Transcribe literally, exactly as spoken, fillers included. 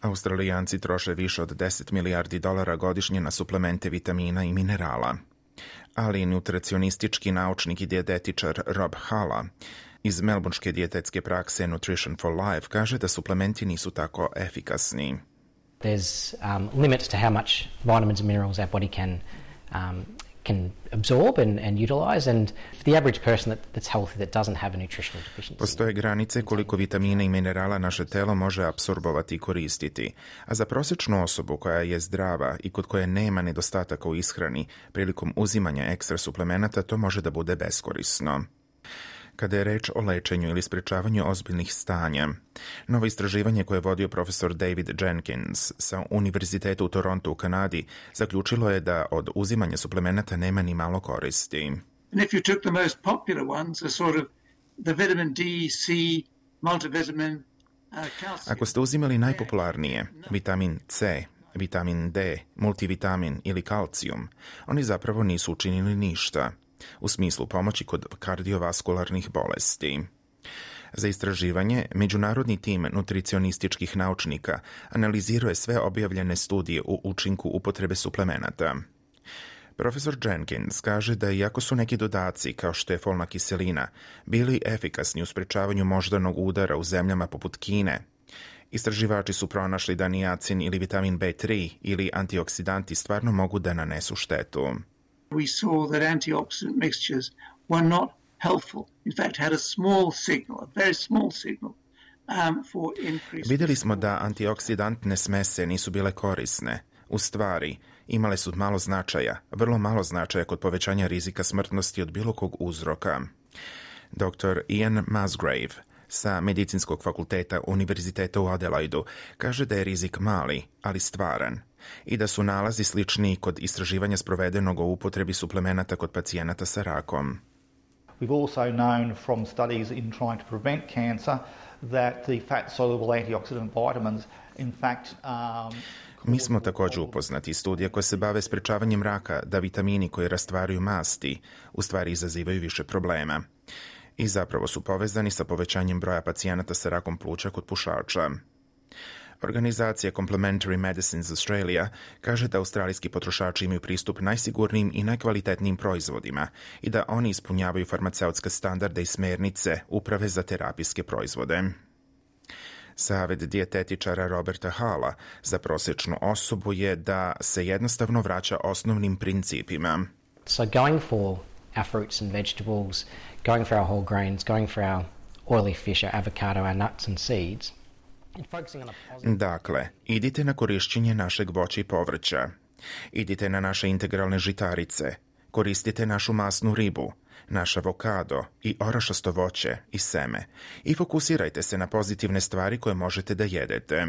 Australijanci troše više od deset milijardi dolara godišnje na suplemente vitamina i minerala. Ali nutricionistički naučnik i dijetetičar Rob Hala iz melbourneške dijetetske prakse Nutrition for Life kaže da suplementi nisu tako efikasni. There's um, limits to how much vitamins and minerals our body can um, can absorb and, and utilize, and for the average person that, that's healthy that doesn't have a nutritional deficiency. Postoje granice koliko vitamina i minerala naše telo može apsorbovati i koristiti, a za prosječnu osobu koja je zdrava i kod koje nema nedostataka u ishrani, prilikom uzimanja ekstra suplemenata to može da bude beskorisno. Kada je reč o lečenju ili sprečavanju ozbiljnih stanja, novo istraživanje koje je vodio profesor David Jenkins sa Univerziteta u Torontu u Kanadi zaključilo je da od uzimanja suplemenata nema ni malo koristi. And if you took the most popular ones, the sort of the vitamin D, C, multivitamin, uh, calcium. Ako ste uzimali najpopularnije, vitamin C, vitamin D, multivitamin ili kalcijum, oni zapravo nisu učinili ništa u smislu pomoći kod kardiovaskularnih bolesti. Za istraživanje, međunarodni tim nutricionističkih naučnika analizirao je sve objavljene studije u učinku upotrebe suplemenata. Profesor Jenkins kaže da iako su neki dodaci, kao što je folna kiselina, bili efikasni u sprečavanju moždanog udara u zemljama poput Kine, istraživači su pronašli da niacin ili vitamin B tri ili antioksidanti stvarno mogu da nanesu štetu. We saw that antioxidant mixtures were not helpful. In fact, had a small signal, a very small signal um, for increased... Vidjeli smo da antioksidantne smese nisu bile korisne. U stvari, imale su malo značaja, vrlo malo značaja kod povećanja rizika smrtnosti od bilo kog uzroka. doktor Ian Musgrave sa Medicinskog fakulteta Univerziteta u Adelaidu kaže da je rizik mali, ali stvaran, i da su nalazi slični kod istraživanja sprovedenog o upotrebi suplemenata kod pacijenata sa rakom. We've also known from studies in trying to prevent cancer that the fat-soluble antioxidant vitamins in fact um, Mi smo također upoznati studije koje se bave sprečavanjem raka da vitamini koji rastvaraju masti u stvari izazivaju više problema i zapravo su povezani sa povećanjem broja pacijenata sa rakom pluća kod pušača. Organizacija Complementary Medicines Australia kaže da australijski potrošači imaju pristup najsigurnijim i najkvalitetnijim proizvodima i da oni ispunjavaju farmaceutske standarde i smernice Uprave za terapijske proizvode. Savet dijetetičara Roberta Hala za prosječnu osobu je da se jednostavno vraća osnovnim principima. So going for our fruits and vegetables, going for our whole grains, going for our oily fish, our avocado, our nuts and seeds. Dakle, idite na korišćenje našeg voća i povrća. Idite na naše integralne žitarice. Koristite našu masnu ribu, naš avokado i orašasto voće i seme i fokusirajte se na pozitivne stvari koje možete da jedete.